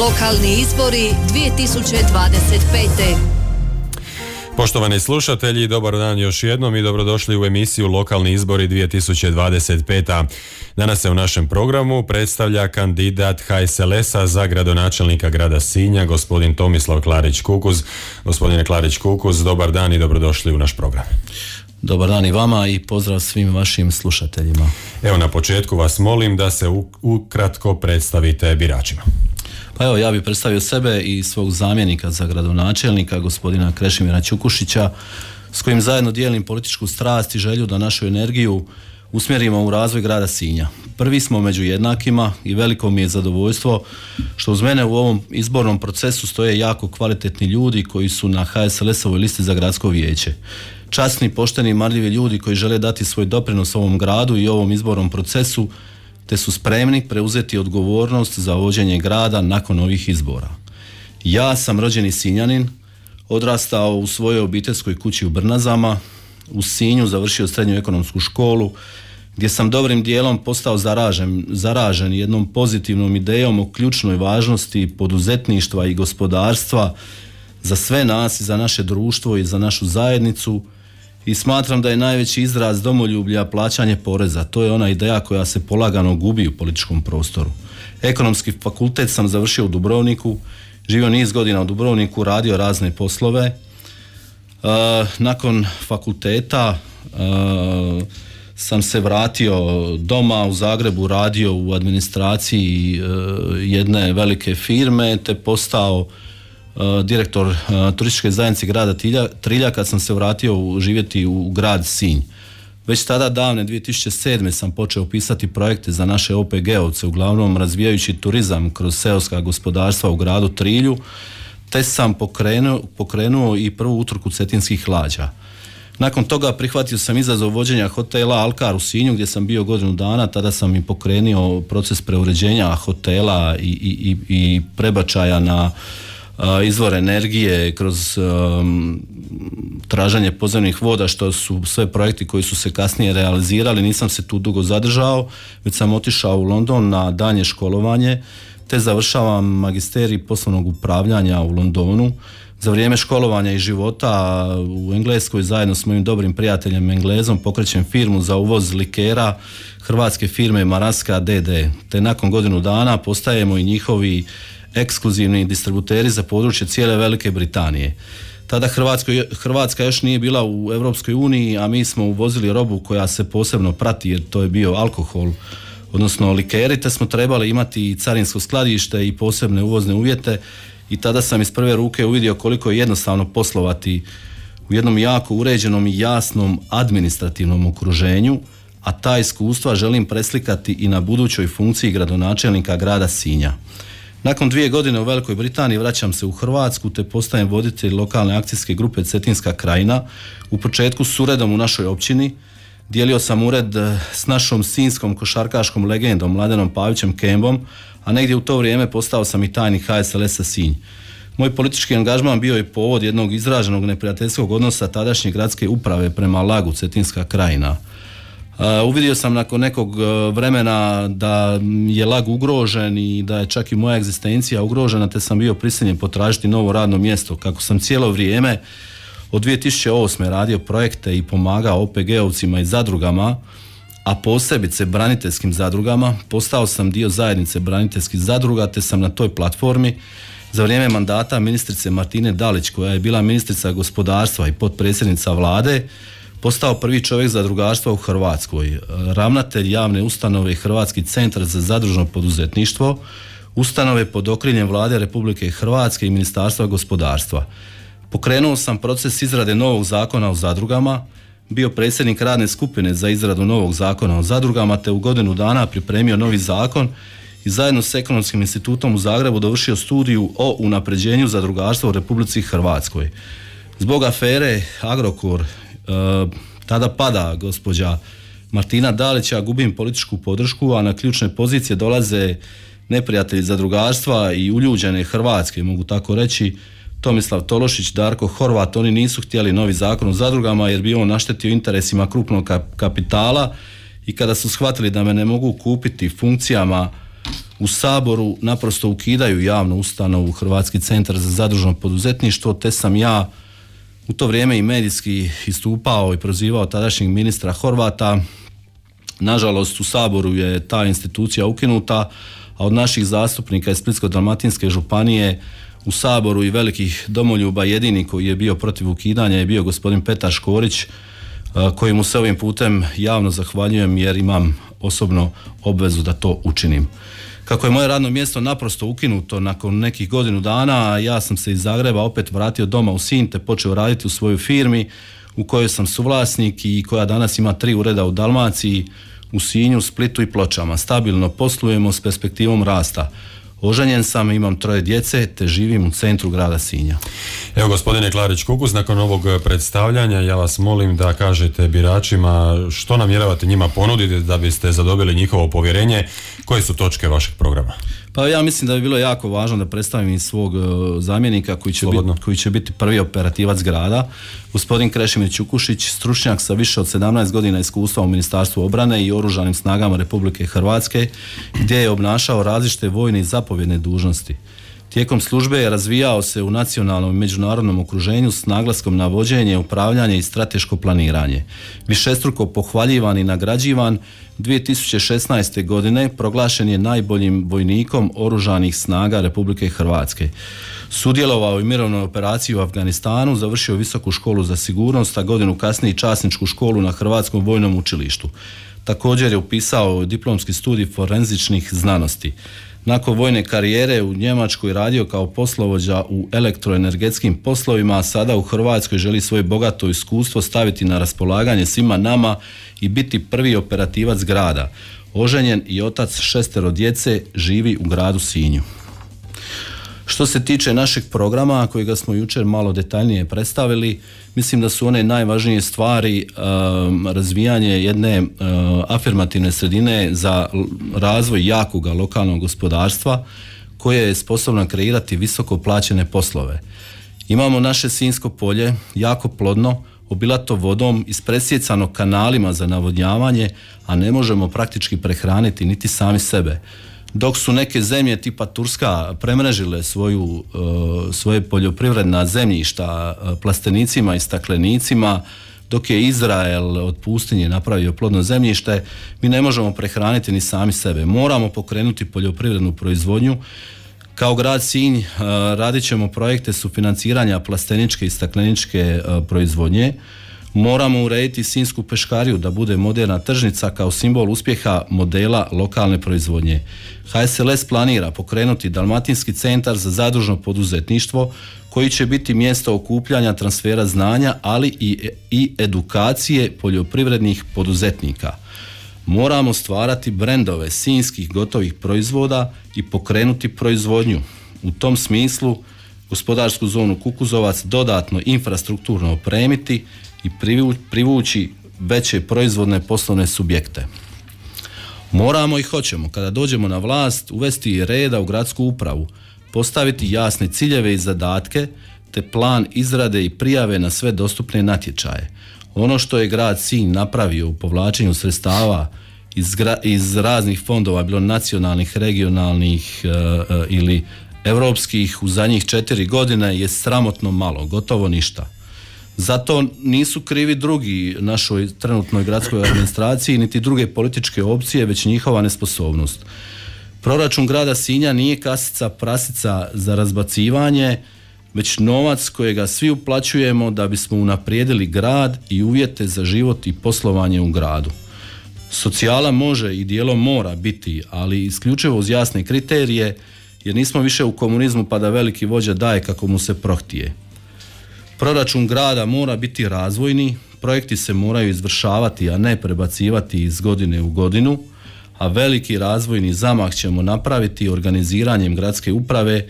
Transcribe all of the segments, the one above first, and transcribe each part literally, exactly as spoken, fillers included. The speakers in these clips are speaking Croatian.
Lokalni izbori dvije tisuće dvadeset pete. Poštovani slušatelji, dobar dan još jednom i dobrodošli u emisiju Lokalni izbori dvije tisuće dvadeset pete. Danas se u našem programu predstavlja kandidat H S L S-a za gradonačelnika grada Sinja, gospodin Tomislav Klarić-Kukuz. Gospodine Klarić-Kukuz, dobar dan i dobrodošli u naš program. Dobar dan i vama i pozdrav svim vašim slušateljima. Evo, na početku vas molim da se ukratko predstavite biračima. Pa evo, ja bih predstavio sebe i svog zamjenika za gradonačelnika, gospodina Krešimira Ćukušića, s kojim zajedno dijelim političku strast i želju da našu energiju usmjerimo u razvoj grada Sinja. Prvi smo među jednakima i veliko mi je zadovoljstvo što uz mene u ovom izbornom procesu stoje jako kvalitetni ljudi koji su na H S L S-ovoj listi za gradsko vijeće. Časni, pošteni i marljivi ljudi koji žele dati svoj doprinos ovom gradu i ovom izbornom procesu, te su spremni preuzeti odgovornost za vođenje grada nakon ovih izbora. Ja sam rođeni Sinjanin, odrastao u svojoj obiteljskoj kući u Brnazama, u Sinju završio srednju ekonomsku školu, gdje sam dobrim dijelom postao zaražen, zaražen jednom pozitivnom idejom o ključnoj važnosti poduzetništva i gospodarstva za sve nas i za naše društvo i za našu zajednicu. I smatram da je najveći izraz domoljublja plaćanje poreza. To je ona ideja koja se polagano gubi u političkom prostoru. Ekonomski fakultet sam završio u Dubrovniku, živio niz godina u Dubrovniku, radio razne poslove. E, nakon fakulteta e, sam se vratio doma u Zagrebu, radio u administraciji e, jedne velike firme, te postao direktor uh, turističke zajednice grada Trilja, Trilja kad sam se vratio u, živjeti u grad Sinj. Već tada davne dvije tisuće sedme sam počeo pisati projekte za naše O P G-ovce, uglavnom razvijajući turizam kroz seoska gospodarstva u gradu Trilju, te sam pokrenuo, pokrenuo i prvu utrku cetinskih lađa. Nakon toga prihvatio sam izazov vođenja hotela Alkar u Sinju gdje sam bio godinu dana, tada sam i pokrenuo proces preuređenja hotela i, i, i prebačaja na izvor energije kroz um, traženje podzemnih voda, što su sve projekti koji su se kasnije realizirali. Nisam se tu dugo zadržao, već sam otišao u London na daljnje školovanje, te završavam magisterij poslovnog upravljanja u Londonu. Za vrijeme školovanja i života u Engleskoj zajedno s mojim dobrim prijateljem Englezom pokrećem firmu za uvoz likera hrvatske firme Maraska D D, te nakon godinu dana postajemo i njihovi ekskluzivni distributeri za područje cijele Velike Britanije. Tada Hrvatsko, Hrvatska još nije bila u Europskoj uniji, a mi smo uvozili robu koja se posebno prati jer to je bio alkohol, odnosno likeri, te smo trebali imati i carinsko skladište i posebne uvozne uvjete i tada sam iz prve ruke uvidio koliko je jednostavno poslovati u jednom jako uređenom i jasnom administrativnom okruženju, a ta iskustva želim preslikati i na budućoj funkciji gradonačelnika grada Sinja. Nakon dvije godine u Velikoj Britaniji vraćam se u Hrvatsku te postajem voditelj lokalne akcijske grupe Cetinska krajina, u početku s uredom u našoj općini. Dijelio sam ured s našom sinjskom košarkaškom legendom Mladenom Pavićem Kembom, a negdje u to vrijeme postao sam i tajnik H S L S-a Sinj. Moj politički angažman bio je povod jednog izraženog neprijateljskog odnosa tadašnje gradske uprave prema Lagu Cetinska krajina. Uh, uvidio sam nakon nekog uh, vremena da je Lag ugrožen i da je čak i moja egzistencija ugrožena, te sam bio prisiljen potražiti novo radno mjesto. Kako sam cijelo vrijeme od dvije tisuće osme radio projekte i pomagao O P G-ovcima i zadrugama, a posebice braniteljskim zadrugama, postao sam dio zajednice braniteljskih zadruga, te sam na toj platformi za vrijeme mandata ministrice Martine Dalić, koja je bila ministrica gospodarstva i potpredsjednica vlade, postao prvi čovjek zadrugarstva u Hrvatskoj, ravnatelj javne ustanove Hrvatski centar za zadružno poduzetništvo, ustanove pod okriljem Vlade Republike Hrvatske i Ministarstva gospodarstva. Pokrenuo sam proces izrade novog zakona o zadrugama, bio predsjednik radne skupine za izradu novog zakona o zadrugama, te u godinu dana pripremio novi zakon i zajedno s Ekonomskim institutom u Zagrebu dovršio studiju o unapređenju zadrugarstva u Republici Hrvatskoj. Zbog afere Agrokor, Uh, tada pada gospođa Martina Dalića, gubim političku podršku, a na ključne pozicije dolaze neprijatelji zadrugarstva i uljuđene Hrvatske, mogu tako reći, Tomislav Tološić, Darko Horvat. Oni nisu htjeli novi zakon o zadrugama jer bi on naštetio interesima krupnog kapitala i kada su shvatili da me ne mogu kupiti funkcijama u Saboru naprosto ukidaju javnu ustanovu Hrvatski centar za zadružno poduzetništvo, te sam ja u to vrijeme i medijski istupao i prozivao tadašnjeg ministra Horvata. Nažalost, u Saboru je ta institucija ukinuta, a od naših zastupnika iz Splitsko-dalmatinske županije u Saboru i velikih domoljuba jedini koji je bio protiv ukidanja je bio gospodin Petar Škorić, kojemu se ovim putem javno zahvaljujem jer imam osobno obvezu da to učinim. Kako je moje radno mjesto naprosto ukinuto nakon nekih godinu dana, ja sam se iz Zagreba opet vratio doma u Sinj te počeo raditi u svojoj firmi u kojoj sam suvlasnik i koja danas ima tri ureda u Dalmaciji, u Sinju, Splitu i Pločama. Stabilno poslujemo s perspektivom rasta. Oženjen sam, imam troje djece te živim u centru grada Sinja. Evo, gospodine Klarić Kukus, nakon ovog predstavljanja ja vas molim da kažete biračima što namjeravate njima ponuditi da biste zadobili njihovo povjerenje. Koje su točke vašeg programa? Pa ja mislim da bi bilo jako važno da predstavim i svog uh, zamjenika koji će, bit, koji će biti prvi operativac grada, gospodin Krešimir Ćukušić, stručnjak sa više od sedamnaest godina iskustva u Ministarstvu obrane i Oružanim snagama Republike Hrvatske, gdje je obnašao različite vojne i zapovjedne dužnosti. Tijekom službe je razvijao se u nacionalnom i međunarodnom okruženju s naglaskom na vođenje, upravljanje i strateško planiranje. Višestruko pohvaljivan i nagrađivan, dvije tisuće šesnaeste. godine proglašen je najboljim vojnikom Oružanih snaga Republike Hrvatske. Sudjelovao u mirovnoj operaciji u Afganistanu, završio visoku školu za sigurnost, a godinu kasnije časničku školu na Hrvatskom vojnom učilištu. Također je upisao diplomski studij forenzičnih znanosti. Nakon vojne karijere u Njemačkoj radio kao poslovođa u elektroenergetskim poslovima, a sada u Hrvatskoj želi svoje bogato iskustvo staviti na raspolaganje svima nama i biti prvi operativac grada. Oženjen i otac šestero djece, živi u gradu Sinju. Što se tiče našeg programa, kojega smo jučer malo detaljnije predstavili, mislim da su one najvažnije stvari um, razvijanje jedne uh, afirmativne sredine za razvoj jakoga lokalnog gospodarstva koje je sposobno kreirati visoko plaćene poslove. Imamo naše Sinjsko polje, jako plodno, obilato vodom, ispresjecano kanalima za navodnjavanje, a ne možemo praktički prehraniti niti sami sebe. Dok su neke zemlje tipa Turska premrežile svoju, uh, svoje poljoprivredna zemljišta uh, plastenicima i staklenicima, dok je Izrael od pustinje napravio plodno zemljište, mi ne možemo prehraniti ni sami sebe. Moramo pokrenuti poljoprivrednu proizvodnju. Kao grad Sinj uh, radit ćemo projekte sufinanciranja plasteničke i stakleničke uh, proizvodnje. Moramo urediti Sinjsku peškariju da bude moderna tržnica kao simbol uspjeha modela lokalne proizvodnje. H S L S planira pokrenuti Dalmatinski centar za zadružno poduzetništvo koji će biti mjesto okupljanja transfera znanja, ali i, i edukacije poljoprivrednih poduzetnika. Moramo stvarati brendove sinjskih gotovih proizvoda i pokrenuti proizvodnju. U tom smislu gospodarsku zonu Kukuzovac dodatno infrastrukturno opremiti i privući veće proizvodne poslovne subjekte. Moramo i hoćemo, kada dođemo na vlast, uvesti reda u gradsku upravu, postaviti jasne ciljeve i zadatke, te plan izrade i prijave na sve dostupne natječaje. Ono što je grad Sinj napravio u povlačenju sredstava iz, gra, iz raznih fondova, bilo nacionalnih, regionalnih e, e, ili europskih, u zadnjih četiri godine je sramotno malo, gotovo ništa. Zato nisu krivi drugi našoj trenutnoj gradskoj administraciji niti druge političke opcije, već njihova nesposobnost. Proračun grada Sinja nije kasica prasica za razbacivanje, već novac kojega svi uplaćujemo da bismo unaprijedili grad i uvjete za život i poslovanje u gradu. Socijala može i dijelom mora biti, ali isključivo uz jasne kriterije, jer nismo više u komunizmu pa da veliki vođa daje kako mu se prohtije. Proračun grada mora biti razvojni, projekti se moraju izvršavati, a ne prebacivati iz godine u godinu, a veliki razvojni zamah ćemo napraviti organiziranjem gradske uprave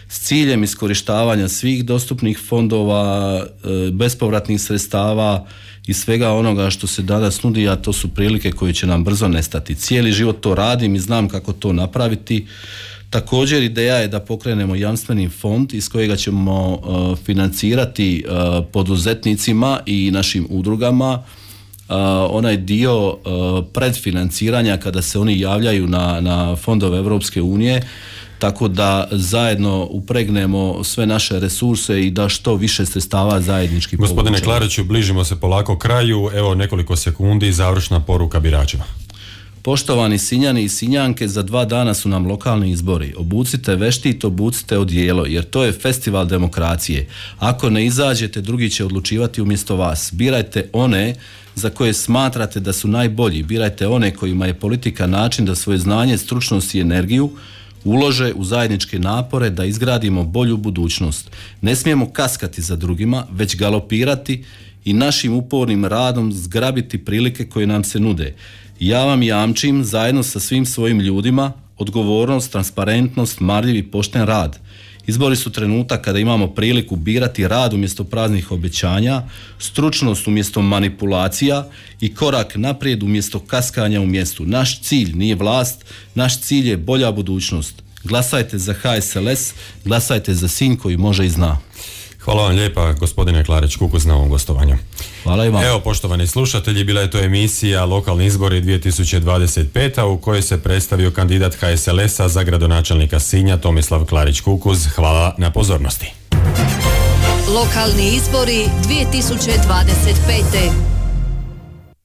s ciljem iskorištavanja svih dostupnih fondova, bespovratnih sredstava i svega onoga što se danas nudi, a to su prilike koje će nam brzo nestati. Cijeli život to radim i znam kako to napraviti. Također ideja je da pokrenemo jamstveni fond iz kojega ćemo uh, financirati uh, poduzetnicima i našim udrugama uh, onaj dio uh, predfinanciranja kada se oni javljaju na, na fondove Europske unije, tako da zajedno upregnemo sve naše resurse i da što više sredstava zajednički povučemo. Gospodine Klariću, bližimo se polako kraju, evo nekoliko sekundi, završna poruka biračima. Poštovani Sinjani i Sinjanke, za dva dana su nam lokalni izbori. Obucite veštit, obucite odijelo, jer to je festival demokracije. Ako ne izađete, drugi će odlučivati umjesto vas. Birajte one za koje smatrate da su najbolji. Birajte one kojima je politika način da svoje znanje, stručnost i energiju ulože u zajedničke napore da izgradimo bolju budućnost. Ne smijemo kaskati za drugima, već galopirati i našim upornim radom zgrabiti prilike koje nam se nude. Ja vam jamčim, zajedno sa svim svojim ljudima, odgovornost, transparentnost, marljiv i pošten rad. Izbori su trenutak kada imamo priliku birati rad umjesto praznih obećanja, stručnost umjesto manipulacija i korak naprijed umjesto kaskanja u mjestu. Naš cilj nije vlast, naš cilj je bolja budućnost. Glasajte za H S L S, glasajte za Sinj koji može i zna. Hvala vam lijepa, gospodine Klarić Kukuz, na ovom gostovanju. Hvala i vam. Evo, poštovani slušatelji, bila je to emisija Lokalni izbori dvije tisuće dvadeset pet. u kojoj se predstavio kandidat H S L S-a za gradonačelnika Sinja Tomislav Klarić Kukuz. Hvala na pozornosti. Lokalni izbori dvije tisuće dvadeset pet.